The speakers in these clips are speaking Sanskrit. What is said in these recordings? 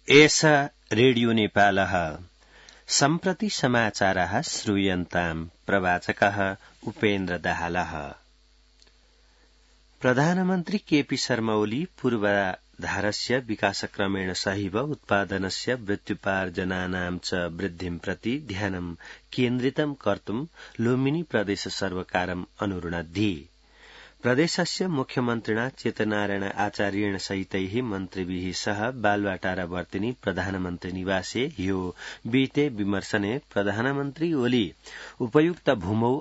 एष रेडियो नेपालः सम्प्रति समाचारः श्रूयन्ताम् प्रवाचकः उपेन्द्र दाहालः। प्रधानमन्त्री केपी शर्मा ओली पूर्वाधारस्य विकासक्रमेण सहैव उत्पादनस्य वृत्त्युपार्जनानां च वृद्धिं प्रति ध्यानं केन्द्रितं कर्तुं लुम्बिनी प्रदेश सर्वकारम् अनुरुणद्धि। प्रदेशस्य मुख्यमन्त्रिणा चेतनारायण आचार्येण सहितैः मन्त्रिभिः सह बालुवाटारावर्तिनि प्रधानमन्त्री निवासे ह्यो विहिते विमर्शने प्रधानमन्त्री ओली उपयुक्त भूमौ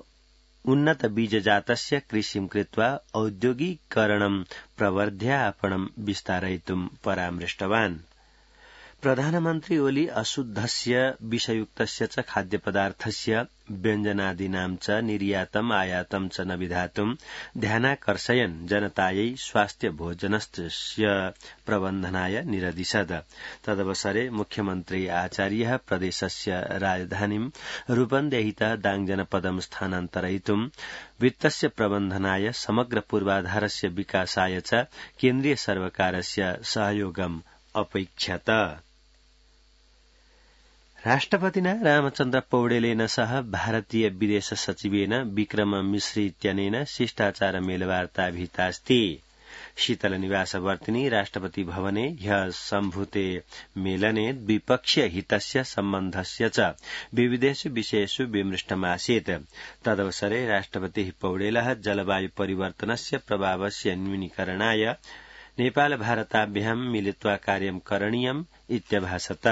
उन्नत बीजजातस्य कृषिं कृत्वा औद्योगिकरणं प्रवर्ध्य आपणं विस्तारयितुं परामृष्टवान्। प्रधानमन्त्री ओली अशुद्धस्य विषयुक्तस्य च खाद्यपदार्थस्य व्यञ्जनादीनां च निर्यातम् आयातं च न विधातुं ध्यानाकर्षयन् जनतायै स्वास्थ्य भोजनस्य प्रबन्धनाय निरदिशत्। तदवसरे मुख्यमन्त्री आचार्यः प्रदेशस्य राजधानीं रूपन्देहितः दाङजनपदं स्थानान्तरयितुं वित्तस्य प्रबन्धनाय समग्र पूर्वाधारस्य विकासाय च केन्द्रीय सर्वकारस्य सहयोगम् अपैक्षत। राष्ट्रपतिना रामचन्द्र पौडेलेन सह भारतीय विदेश सचिवेन विक्रम मिश्री इत्यनेन शिष्टाचार मेलवार्ता विहितास्ति। शीतल निवासवर्तिनि राष्ट्रपति भवने ह्यः सम्भूते मेलने द्विपक्षीय हितस्य सम्बन्धस्य च विविधेषु विषयेषु विमृष्टमासीत्। तदवसरे राष्ट्रपतिः पौडेलः जलवायु परिवर्तनस्य प्रभावस्य न्यूनीकरणाय नेपाल भारताभ्यां मिलित्वा कार्यं करणीयम् इत्यभाषत।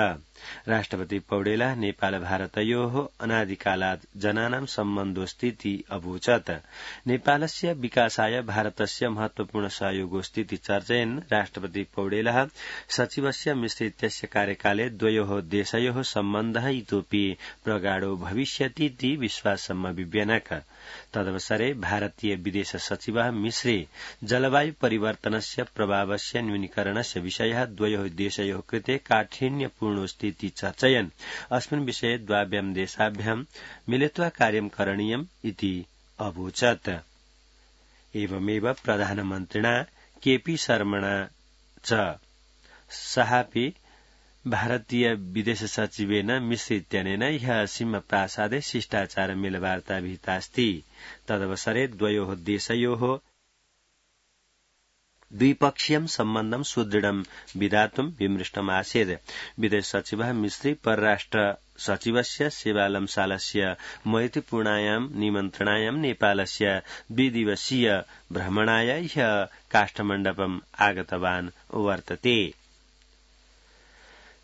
राष्ट्रपति पौडेलः नेपाल भारतयोः अनादिकालात् जनानां सम्बन्धोऽस्तीति अवोचत्। नेपालस्य विकासाय भारतस्य महत्वपूर्ण सहयोगोऽस्तीति चर्चयन् राष्ट्रपति पौडेलः सचिवस्य मिश्र इत्यस्य कार्यकाले द्वयोः देशयोः सम्बन्धः इतोऽपि प्रगाढो भविष्यतीति विश्वासम् अभिव्यनक। तदवसरे भारतीय विदेश सचिवः मिश्रे जलवायु परिवर्तनस्य प्रभावस्य न्यूनीकरणस्य विषयः द्वयोः देशयोः कृते काठिन्यपूर्णोऽस्तीति चर्चयन् अस्मिन् विषये द्वाभ्यां देशाभ्यां मिलित्वा कार्यं करणीयम् इति अवोचत्। एवमेव प्रधानमन्त्रिणा केपी शर्मणा च सहापि भारतीय विदेश सचिवेन मिश्र इत्यनेन ह्यः सिंहप्रासादे शिष्टाचार मेलवार्ता विहितास्ति। तदवसरे द्वयोः देशयोः द्विपक्षीयं सम्बन्धं सुदृढं विधातुं विमृष्टमासीत्। विदेश सचिवः मिश्री परराष्ट्र सचिवस्य सेवालमसालस्य मैत्रीपूर्णायां निमन्त्रणायां नेपालस्य द्विदिवसीय भ्रमणाय ह्यः काष्ठमण्डपम् आगतवान् वर्तते।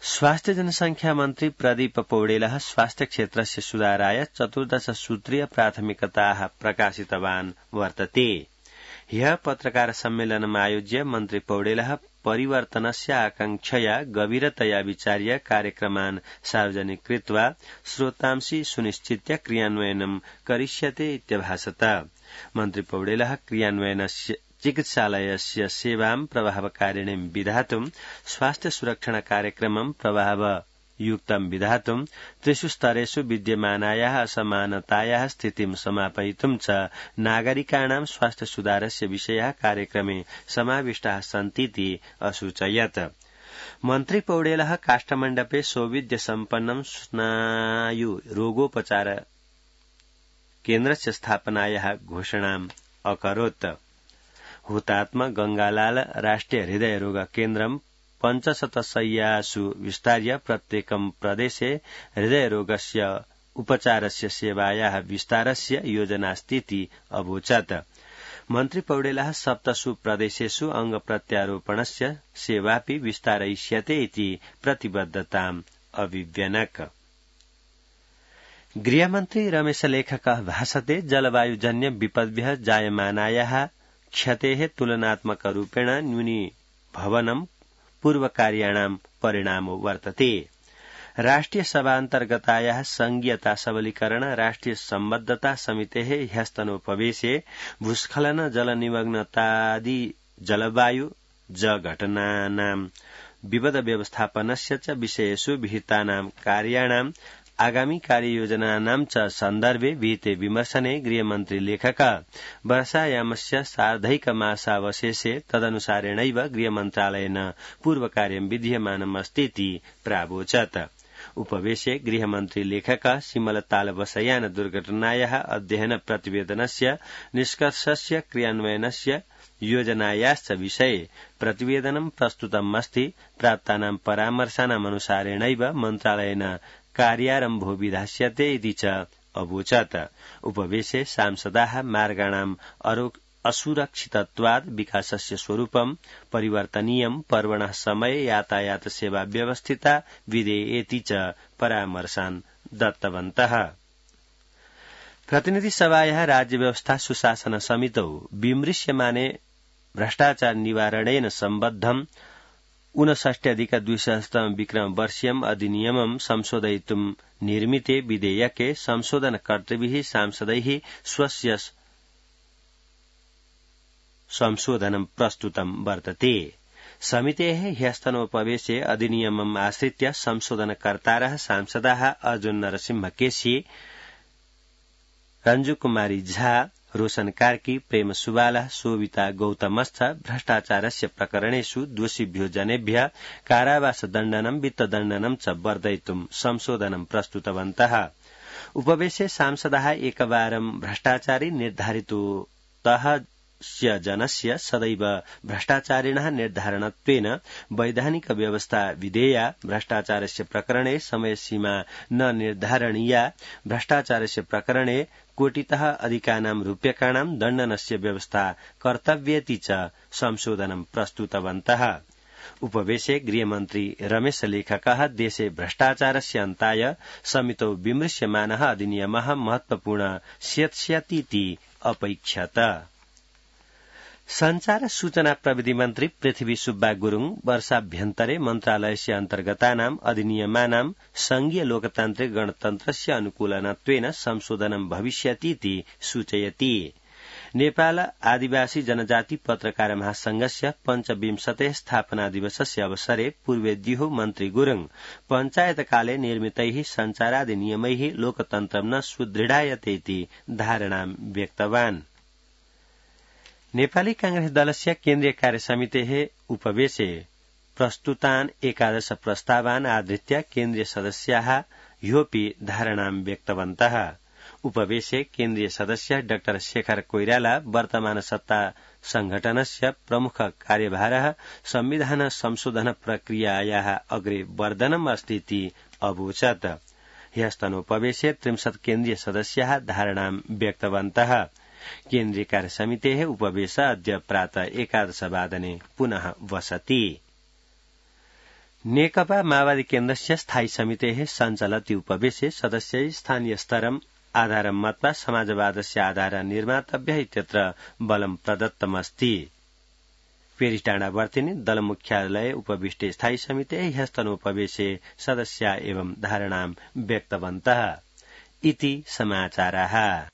स्वास्थ्य जनसंख्या मन्त्री प्रदीप पौडेलः स्वास्थ्य क्षेत्रस्य सुधाराय 14 सूत्रीय प्राथमिकताः प्रकाशितवान् वर्तते। ह्यः पत्रकार सम्मेलनम् आयोज्य मन्त्री पौडेलः परिवर्तनस्य आकांक्षया गभीरतया विचार्य कार्यक्रमान् सार्वजनिक कृत्वा श्रोतांसि सुनिश्चित्य क्रियान्वयनं करिष्यते इत्यभाषत। मन्त्री पौडेलः क्रियान्वयनस्य चिकित्सालयस्य सेवां प्रभावकारिणीं विधातुं स्वास्थ्य सुरक्षण कार्यक्रमं प्रभावयुक्तं विधातुं त्रिषु स्तरेषु विद्यमानायाः असमानतायाः स्थितिं समापयितुं च नागरिकाणां स्वास्थ्य सुधारस्य विषयाः कार्यक्रमे समाविष्टाः सन्तीति असूचयत्। मन्त्री पौडेलः काष्ठमण्डपे सौविध्य सम्पन्नं स्नायु रोगोपचार केन्द्रस्य स्थापनायाः घोषणाम् अकरोत्। हुतात्मा गंगालाल राष्ट्रिय हृदय रोग केन्द्रं 500 शय्यासु विस्तार्य प्रत्येकं प्रदेशे हृदयरोगस्य उपचारस्य सेवायाः विस्तारस्य योजनास्तीति अवोचत्। मन्त्री पौडेलः 7 प्रदेशेषु अंगप्रत्यारोपणस्य सेवापि विस्तारयिष्यते इति प्रतिबद्धताम् अभिव्यनक। गृहमन्त्री रमेश लेखकः भाषते जलवायुजन्य विपद्भ्यः जायमानायाः क्षतेः तुलनात्मकरूपेण न्यूनीभवनं पूर्वकार्याणां परिणामो वर्तते। राष्ट्रिय सभान्तर्गतायाः संघीयता सबलीकरण राष्ट्रिय सम्बद्धता समितेः ह्यस्तनोपवेशे भूस्खलन जलनिमग्नतादि जलवायु घटनानां विपद व्यवस्थापनस्य च विषयेषु विहितानां कार्याणां आगामी कार्ययोजनानां च सन्दर्भे विहिते विमर्शने गृहमन्त्री लेखका वर्षायामस्य सार्धैकमासावशेषे तदनुसारेणैव गृहमन्त्रालयेन पूर्वकार्यं विधीयमानमस्तीति प्रावोचत्। उपवेशे गृहमन्त्री लेखका सिमलतालबसयान दुर्घटनायाः अध्ययन प्रतिवेदनस्य निष्कर्षस्य क्रियान्वयनस्य योजनायाश्च विषये प्रतिवेदनं प्रस्तुतमस्ति। प्राप्तानां परामर्शानामनुसारेणैव मन्त्रालयेन कार्यारम्भो विधास्यते इति च अवोचत्। उपवेशे सांसदाः मार्गाणाम् असुरक्षितत्वात् विकासस्य स्वरूपं परिवर्तनीयं पर्वणः समये यातायात सेवा व्यवस्थिता विधेयेति च परामर्शान् दत्तवन्तः। प्रतिनिधि सभायाः राज्य व्यवस्था सुशासन समितौ विमृश्यमाने भ्रष्टाचार निवारणेन सम्बद्धम् 59,200 विक्रमवर्षीयम् अधिनियमं संशोधयितुं निर्मिते विधेयके संशोधनकर्तृभिः सांसदैः स्वस्य संशोधनं प्रस्तुतं वर्तते। समितेः ह्यस्तनोपवेशे अधिनियमम् आश्रित्य संशोधनकर्तारः सांसदाः अर्जुन नरसिंह केसी, रंजू कुमारी झा, रोशन कार्की, प्रेम सुवाला, शोभिता गौतमश्च भ्रष्टाचारस्य प्रकरणेषु दोषिभ्यो जनेभ्यः कारावासदण्डनं वित्तदण्डनं च वर्धयितुं संशोधनं प्रस्तुतवन्तः। उपवेशे सांसदाः एकवारं भ्रष्टाचारी निर्धारितोतः जनस्य सदैव भ्रष्टाचारिणः निर्धारणत्वेन वैधानिक व्यवस्था विधेया, भ्रष्टाचारस्य प्रकरणे समयसीमा न निर्धारणीया, भ्रष्टाचारस्य प्रकरणे कोटितः अधिकानां रूप्यकाणां दण्डनस्य व्यवस्था कर्तव्येति च संशोधनं प्रस्तुतवन्तः। उपवेशे गृहमन्त्री रमेश लेखकः देशे भ्रष्टाचारस्य अन्ताय समितौ विमृश्यमानः अधिनियमः महत्वपूर्ण स्यात्स्यतीति अपैक्षत। संचार सूचना प्रविधि मन्त्री पृथ्वी सुब्बा गुरूङ वर्षाभ्यन्तरे मन्त्रालयस्य अन्तर्गतानां अधिनियमानां संघीय लोकतान्त्रिक गणतन्त्रस्य अनुकूलनत्वेन संशोधनं भविष्यतीति सूचयति। नेपाल आदिवासी जनजाति पत्रकार महासंघस्य 25 स्थापना दिवसस्य अवसरे पूर्वेद्युः मन्त्री गुरूङ पञ्चायतकाले निर्मितैः संचाराधिनियमैः लोकतन्त्रं न सुदृढायते इति धारणां व्यक्तवान्। नेपाली कांग्रेस दलस्य केन्द्रीय कार्यसमितेः उपवेशे प्रस्तुतान् 11 प्रस्तावान् आधृत्य केन्द्रीय सदस्याः ह्योपि धारणां व्यक्तवन्तः। उपवेशे केन्द्रीय सदस्य डॉ शेखर कोइराला वर्तमान सत्ता संघटनस्य प्रमुख कार्यभारः संविधान संशोधन प्रक्रियायाः अग्रे वर्धनम् अस्तीति अवोचत्। ह्यस्तनोपवेशे 30 केन्द्रीय सदस्याः धारणां व्यक्तवन्तः। केन्द्रीय कार्यसमितेः उपवेश अद्य प्रातः 11 वादने पुनः वसति। नेकपा माओवादी केन्द्रस्य स्थायी समितेः सञ्चालति उपवेशे सदस्यैः स्थानीय स्तरम् आधारं मत्वा समाजवादस्य आधार निर्मातव्यः इत्यत्र बलं प्रदत्तमस्ति। पेरिटाडावर्तिनि दल मुख्यालये उपविष्टे स्थायी समितेः ह्यस्तनोपवेशे सदस्या एवं धारणां व्यक्तवन्तः इति समाचाराः।